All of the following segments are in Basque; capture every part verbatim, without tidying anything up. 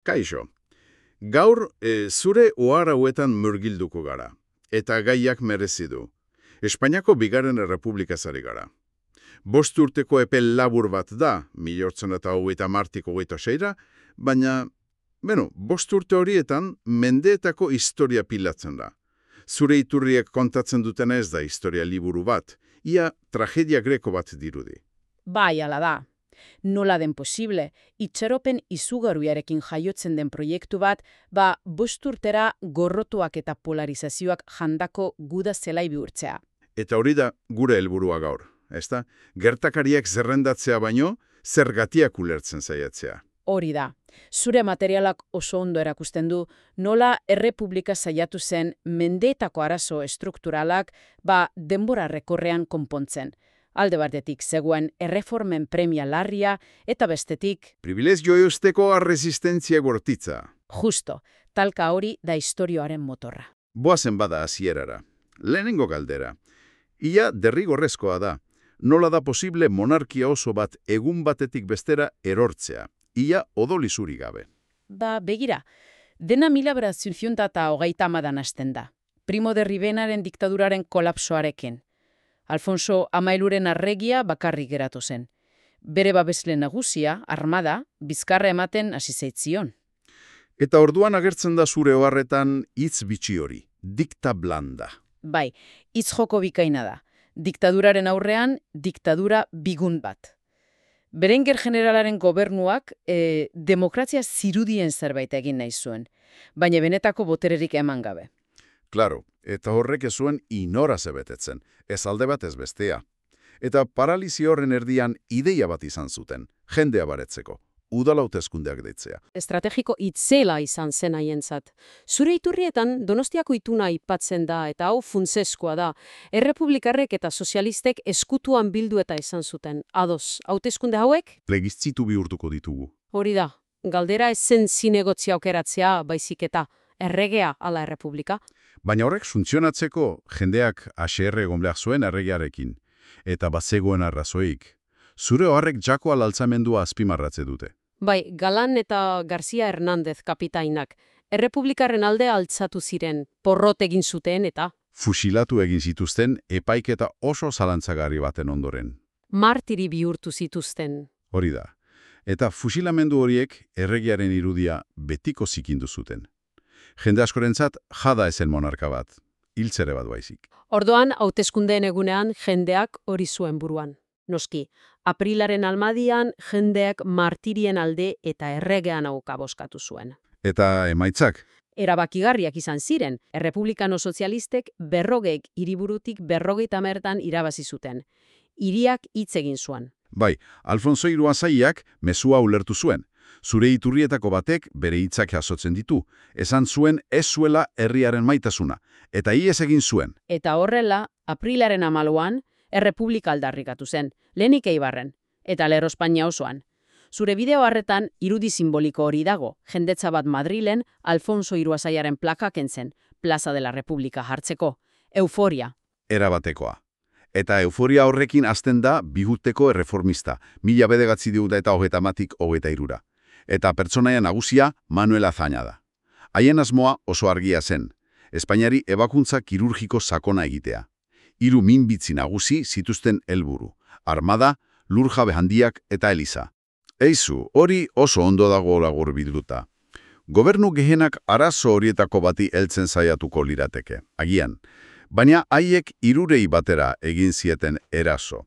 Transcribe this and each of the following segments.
Kaixo, gaur e, zure ohar hauetan murgilduko gara, eta gaiak merezi du. Espainiako bigarren errepublikaz ari gara. Bost urteko epe labur bat da, milortzen eta hogeita martik hogeita seira, baina, beno, bost urte horietan mendeetako historia pilatzen da. Zure iturriek kontatzen dutena ez da historia liburu bat, ia tragedia greko bat dirudi. Bai, ala da. Nola den posible, itxaropen izugarriarekin jaiotzen den proiektu bat, ba bost urtera gorrotuak eta polarizazioak jandako guda zelai bihurtzea. Eta hori da gure helburua gaur, ezta? Gertakariak zerrendatzea baino, zergatiak ulertzen saiatzea. Hori da. Zure materialak oso ondo erakusten du nola errepublika saiatu zen mendeetako arazo estrukturalak ba denbora rekorrean konpontzen. Alde batetik zegoen erreformen premia larria eta bestetik privilegio eusteko resistentzia bortitza. Justo, talka hori da istorioaren motorra. Boazen bada hasierara. Lehenengo galdera. Ia derrigorrezkoa da. Nola da posible monarkia oso bat egun batetik bestera erortzea. Ia odoli zuri gabe. Ba, begira, dena mila bederatziehun eta hogeita hamadan hasten da. Primo de Rivenaren diktaduraren kolapsoarekin. Alfonso Hamairuren arregia bakarrik geratu zen. Bere babesle nagusia, armada, bizkarra ematen hasi zaitzion. Eta orduan agertzen da zure oharretan hitz bitxi hori, dicta blanda. Bai, hitz joko bikaina da. Diktaduraren aurrean, diktadura bigun bat. Berenguer generalaren gobernuak e, demokrazia zirudien zerbait egin nahi zuen, baina benetako botererik eman gabe. Claro, eta horrek ez zuen inora zebetetzen, ez alde bat ez bestea. Eta paralisi horren erdian ideia bat izan zuten, jendea baretzeko, udal hauteskundeak deitzea. Estrategiko itzela izan zen haientzat. Zure iturrietan Donostiako ituna aipatzen da eta hau funtseskoa da. Errepublikarrek eta sozialistek eskutuan bildu eta izan zuten. Ados, hauteskunde hauek? Plebiszitu bihurtuko ditugu. Hori da, galdera ez zen zinegotzia aukeratzea baizik eta erregea ala errepublika. Baina horrek funtzionatzeko jendeak H R egon behar zuen erregearekin, eta bazegoen arrazoik. Zure horrek jako alaltzamendua azpimarratze dute. Bai, Galan eta Garcia Hernandez kapitainak errepublikarren alde altzatu ziren, porrot egin zuten eta fusilatu egin zituzten epaiketa oso zalantzagarri baten ondoren. Martiri bihurtu zituzten. Hori da. Eta fusilamendu horiek erregearen irudia betiko zikindu zuten. Jende askorentzat jada ezen monarka bat, hiltzere bat baizik. Orduan, hauteskundeen egunean jendeak hori zuen buruan. Noski, aprilaren almadian jendeak martirien alde eta erregean auka boskatu zuen. Eta emaitzak? Erabakigarriak izan ziren, errepublikano sozialistek berrogeik hiriburutik berrogeita mertan irabazi zuten. Hiriak hitz egin zuen. Bai, Alfonso Iruazaiak mezua ulertu zuen. Zure iturrietako batek bere hitzak jasotzen ditu. Esan zuen ez zuela herriaren maitasuna, eta ihes egin zuen. Eta horrela, aprilaren amaluan, errepublika aldarrikatu zen, lehenik Eibarren, eta Lerro Espainia osoan. Zure bideo harretan irudi simboliko hori dago, jendetza bat Madrilen Alfonso Iruazaiaren plaka kentzen, Plaza de la República hartzeko. Euforia. Erabatekoa. Eta euforia horrekin hasten da bihuteko erreformista, mila bederatzi diuda eta hogeita matik hogeita irura. Eta pertsonaia nagusia Manuel Azaña da. Haien asmoa oso argia zen, Espainiari ebakuntza kirurgiko sakona egitea. Hiru minbitzi nagusi zituzten helburu, armada, lurjabe handiak eta eliza. Eizu, hori oso ondo dago lagur bilduta. Gobernu gehenak arazo horietako bati heltzen saiatuko lirateke, agian. Baina haiek hirurei batera egin zieten eraso.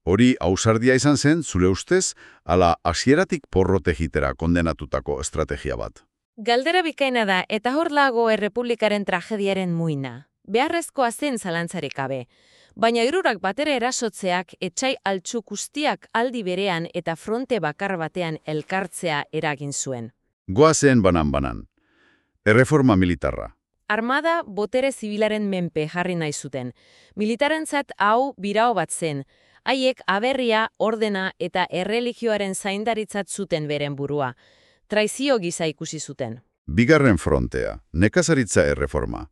Hori ausardia izan zen, zure ustez, ala hasieratik porrote egitera kondenatutako estrategia bat. Galdera bikaina da, eta hor lago errepublikaren tragediaren muina. Beharrezkoa zen zalantzarik gabe. Baina hirurak batera erasotzeak etsai altxu guztiak aldi berean eta fronte bakar batean elkartzea eragin zuen. Goazen banan-banan. Erreforma militarra. Armada botere zibilaren menpe jarri nahi zuten. Militarentzat hau birao bat zen. Haiek aberria, ordena eta erreligioaren zaindaritzat zuten beren burua. Traizio gisa ikusi zuten. Bigarren frontea, nekazaritza erreforma.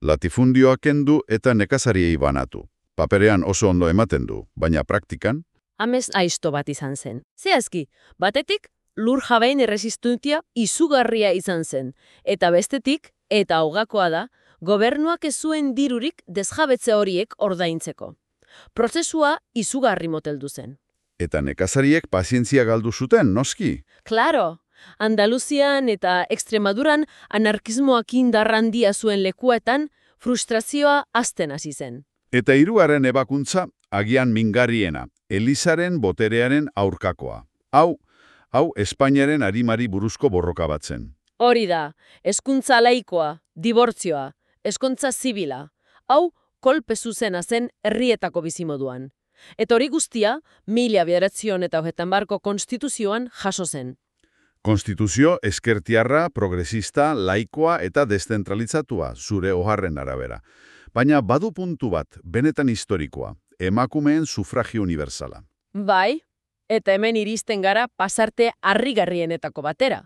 Latifundioa kendu eta nekazariei banatu. Paperean oso ondo ematen du, baina praktikan? Amez aizto bat izan zen. Zehazki, batetik, lur jabein erresistentzia izugarria izan zen. Eta bestetik, eta hogakoa da, gobernuak ez zuen dirurik desjabetze horiek ordaintzeko. Prozesua izugarri moteldu zen. Eta nekazariek pazientzia galdu zuten, noski? Claro, Andaluzian eta Extremaduran anarkismoak indar handia zuen lekuetan frustrazioa hazten hasi zen. Eta hirugarren ebakuntza, agian mingarriena, Elizaren boterearen aurkakoa. Hau, hau Espainiaren arimari buruzko borroka bat zen. Hori da, hezkuntza laikoa, dibortzioa, hezkuntza zibila. Hau, kolpe zuzena zen herrietako bizimoduan. Eta hori guztia, mila bederatziehun eta hogeita hamarko konstituzioan jaso zen. Konstituzio ezkertiarra, progresista, laikoa eta deszentralizatua, zure oharren arabera. Baina badu puntu bat, benetan historikoa, emakumeen sufragio universala. Bai, eta hemen iristen gara pasarte harrigarrienetako batera.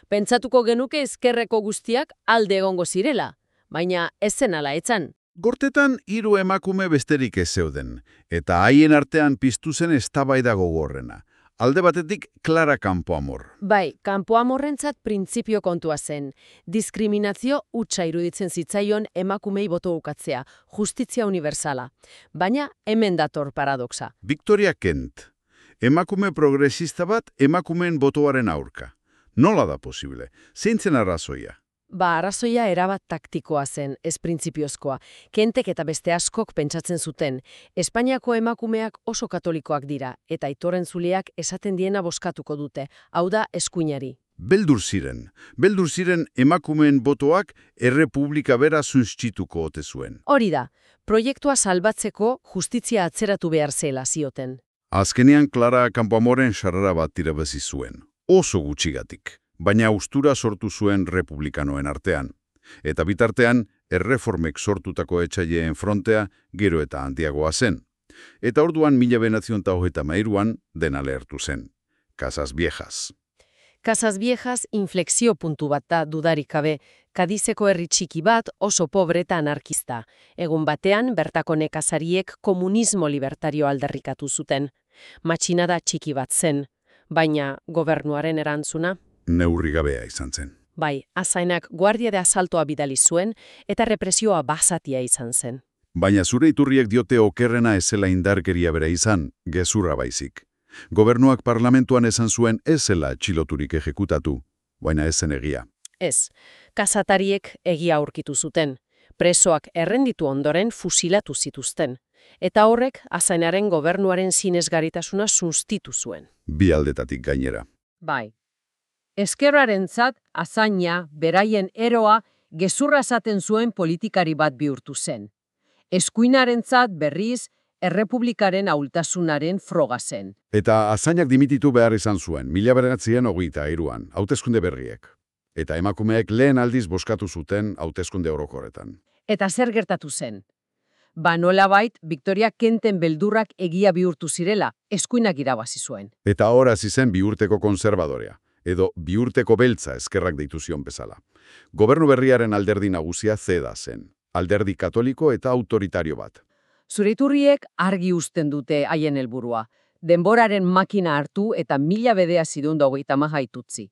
Pentsatuko genuke ezkerreko guztiak alde egongo zirela, baina ez zen ala etzan. Gortetan hiru emakume besterik ez zeuden, eta haien artean piztu zen eztabaida gogorrena. Alde batetik, Clara Campoamor. Bai, Campoamorrentzat printzipio kontua zen. Diskriminazio hutsa iruditzen zitzaion emakumei boto ukatzea, justizia universala. Baina hemen dator paradoxa. Victoria Kent. Emakume progresista bat emakumeen botoaren aurka. Nola da posible? Zeintzen arrazoia? Ba, arrazoia erabat taktikoa zen, ez printzipiozkoa. Kentek eta beste askok pentsatzen zuten. Espainiako emakumeak oso katolikoak dira, eta aitoren zuleak esaten diena bozkatuko dute, hau da eskuinari. Beldur ziren. Beldur ziren emakumeen botoak errepublika bera sunstituko ote zuen. Hori da, proiektua salbatzeko justizia atzeratu behar zela zioten. Azkenean Clara Campoamoren sarrera bat irabazi zuen. Oso gutxigatik. Baina austura sortu zuen republikanoen artean. Eta bitartean, erreformek sortutako etxaileen frontea gero eta handiagoa zen. Eta orduan mila bederatziehun eta hogeita hamairuan dena lehertu zen. Casas Viejas. Casas Viejas inflexio puntu bat da dudarik gabe. Kadizeko herri txiki bat oso pobre eta anarkista. Egun batean, bertako nekazariek komunismo libertario aldarrikatu zuten. Matxinada txiki bat zen. Baina gobernuaren erantzuna? Neurri gabea izan zen. Bai, azainak guardia de asaltoa bidali zuen eta represioa basatia izan zen. Baina zure iturriek diote okerrena ezela indarkeria bera izan, gezurra baizik. Gobernuak parlamentuan esan zuen ez zela txiloturik ejekutatu, baina ez zen egia. Ez, kazatariek egia aurkitu zuten. Presoak errenditu ondoren fusilatu zituzten. Eta horrek azainaren gobernuaren sinesgarritasuna sustitu zuen. Bi aldetatik gainera. Bai. Ezkerrarentzat azaina, beraien eroa, gezurra esaten zuen politikari bat bihurtu zen. Eskuinarentzat berriz, errepublikaren ahultasunaren froga zen. Eta azainak dimititu behar izan zuen, mila bederatzien hogeita hiruan, hauteskunde berriek. Eta emakumeek lehen aldiz bozkatu zuten hauteskunde orokorretan. Eta zer gertatu zen? Ba nolabait, Victoria Kenten beldurrak egia bihurtu zirela, eskuinak irabazi zuen. Eta hor hasi zen biurteko konservadorea, edo biurteko beltza eskerrak deitu zion bezala. Gobernu berriaren alderdi nagusia zeda zen, alderdi katoliko eta autoritario bat. Zure iturriek argi uzten dute haien helburua. Denboraren makina hartu eta mila bederatziehun eta hogeita hamar itutzi.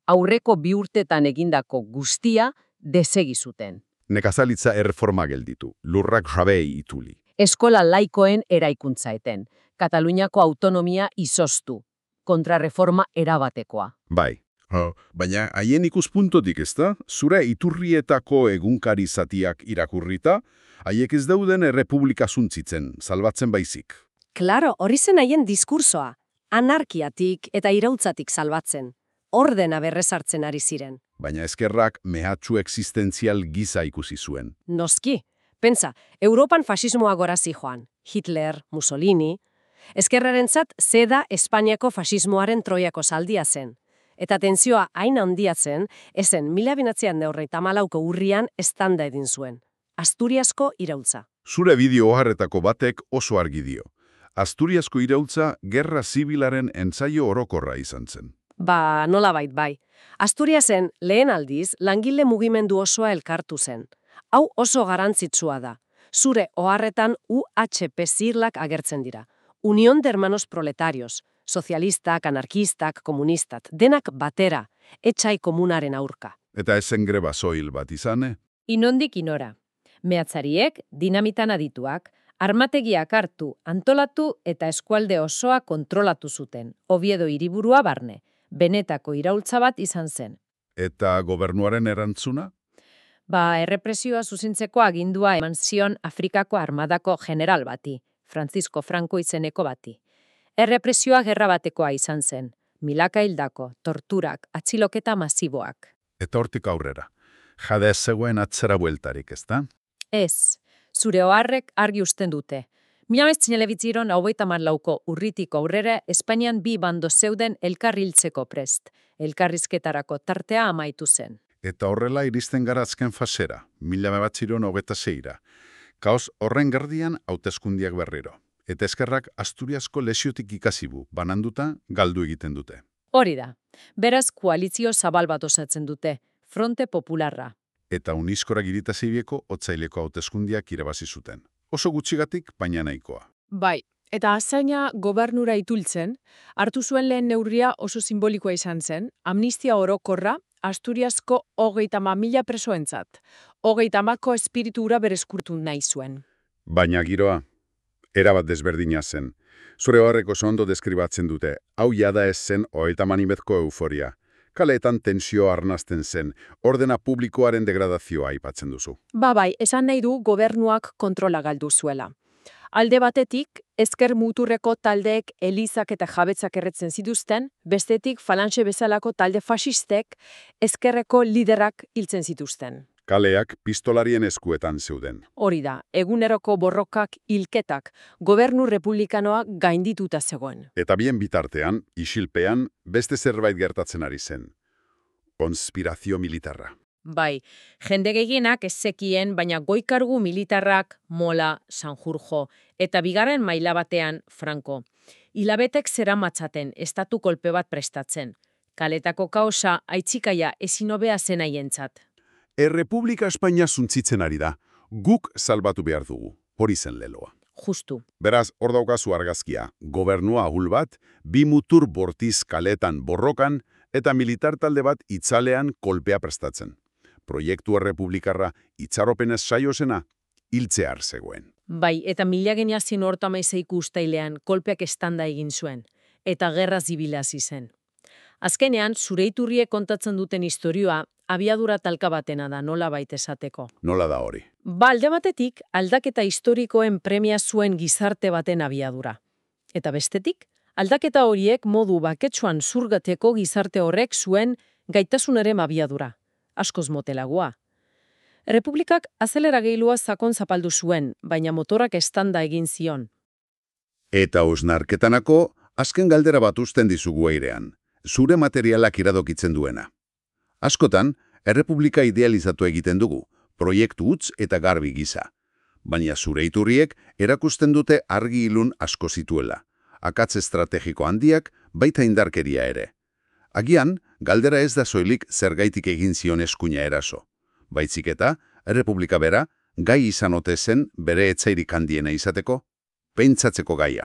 Aurreko bi urtetan egindako guztia desegi zuten. Nekazalitza erreforma gelditu, lurrak jabei ituli. Eskola laikoen eraikuntza eten, Kataluniako autonomia izoztu, kontrareforma erabatekoa. Bai, oh, baina haien ikuspuntotik ezta, zure iturrietako egunkari zatiak irakurrita, haiek ez dauden errepublika zuntzitzen, salbatzen baizik. Claro, hori zen haien diskursoa, anarkiatik eta irautzatik salbatzen, ordena berrezartzen ari ziren. Baina eskerrak mehatxu existentzial giza ikusi zuen. Noski, pentsa, Europan fasismoa gora zijoan, Hitler, Mussolini, eskerrarentzat zeda Espainiako fasismoaren troiako zaldia zen. Eta tentsioa hain handia zen, ezen mila bederatziehun eta hogeita hamalauko urrian eztanda egin zuen. Asturiasko iraultza. Zure bideo oharretako batek oso argi dio. Asturiasko iraultza gerra zibilaren entzaio orokorra izan zen. Ba, nolabait bai. Asturiasen lehen aldiz langile mugimendu osoa elkartu zen. Hau oso garrantzitsua da. Zure oharretan U H P zirlak agertzen dira. Unión de Hermanos Proletarios, Sozialistak, anarkistak, komunistak, denak batera, etxai komunaren aurka. Eta ezen greba soil bat izane? Inondik inora. Mehatzariek, dinamitan adituak, armategiak hartu, antolatu eta eskualde osoa kontrolatu zuten. Oviedo hiriburua barne. Benetako iraultza bat izan zen. Eta gobernuaren erantzuna? Ba, errepresioa zuzentzeko agindua eman zion Afrikako armadako general bati, Francisco Franco izeneko bati. Errepresioa gerra batekoa izan zen. Milaka hildako, torturak, atxiloketa masiboak. Eta hortik aurrera. Jada ez zegoen atzera bueltarik, ezta? Ez, zure oharrek argi usten dute. Mila mezinelebitziron hogeita hamalauko urritik aurrera Espainian bi bando zeuden elkarriltzeko prest. Elkarrizketarako tartea amaitu zen. Eta horrela iristen gara azken fasera, mila mebatziron hogeita zeira. Kaos horren gerdian hauteskundiak berriro. Eta eskerrak Asturiasko lesiotik ikasibu, bananduta galdu egiten dute. Hori da. Beraz koalizio zabal bat osatzen dute, Fronte Popularra. Eta Uniskora girita zeibieko otzaileko hauteskundiak irabazi zuten. Oso gutxigatik, baina nahikoa. Bai, eta azaina gobernura itultzen, hartu zuen lehen neurria oso simbolikoa izan zen, amnistia orokorra Asturiasko hogeita hama mila presoentzat. Hogeita hamako espiritu hura berezkurtu nahi zuen. Baina giroa, erabat desberdina zen. Zure horrek oso ondo deskribatzen dute, hau jada ez zen hogeita hamanimetko euforia. Kaleetan tensio arnazten zen, ordena publikoaren degradazioa aipatzen duzu. Ba bai, esan nahi du gobernuak kontrola galdu zuela. Alde batetik, ezker muturreko taldeek elizak eta jabetzak erretzen zituzten, bestetik falanxe bezalako talde fasistek ezkerreko liderak hiltzen zituzten. Kaleak pistolarien eskuetan zeuden. Hori da, eguneroko borrokak hilketak, gobernu republikanoa gaindituta zegoen. Eta bien bitartean, isilpean, beste zerbait gertatzen ari zen. Konspirazio militarra. Bai, jende gehienak ez zekien, baina goikargu militarrak Mola, Sanjurjo eta bigarren maila batean Franco. Hilabetek zeramatzaten estatu kolpe bat prestatzen. Kaletako kaosa aitzikaia ezin hobea zen haientzat. Errepublika Espainia zuntzitzen ari da. Guk salbatu behar dugu. Hori zen leloa. Justu. Beraz, hor daukazu argazkia. Gobernua ahul bat, bi mutur bortiz kaletan borrokan, eta militar talde bat itzalean kolpea prestatzen. Proiektu errepublikarra itxaropenez saiozena, hiltzear zegoen. Bai, eta mila geniazien horta maizeiko ustailean kolpeak estanda egin zuen, eta gerra zibila hasi zen. Azkenean, zure iturriek kontatzen duten istorioa, abiadura talka batena da, nola baita esateko. Nola da hori? Ba, alde batetik, aldaketa historikoen premia zuen gizarte baten abiadura. Eta bestetik, aldaketa horiek modu baketsuan zurgateko gizarte horrek zuen gaitasunaren abiadura. Askoz motelagoa. Errepublikak azelera geilua sakon zapaldu zuen, baina motorak estanda egin zion. Eta osnarketanako, azken galdera bat uzten dizugu eirean. Zure materialak iradokitzen duena. Askotan, errepublika idealizatu egiten dugu, proiektu utz eta garbi gisa. Baina zure iturriek erakusten dute argi ilun asko zituela. Akatz estrategiko handiak, baita indarkeria ere. Agian, galdera ez da soilik zergaitik egin zion eskuina eraso. Baitzik eta, errepublika bera, gai izan ote zen bere etzairik handiena izateko, pentsatzeko gaia.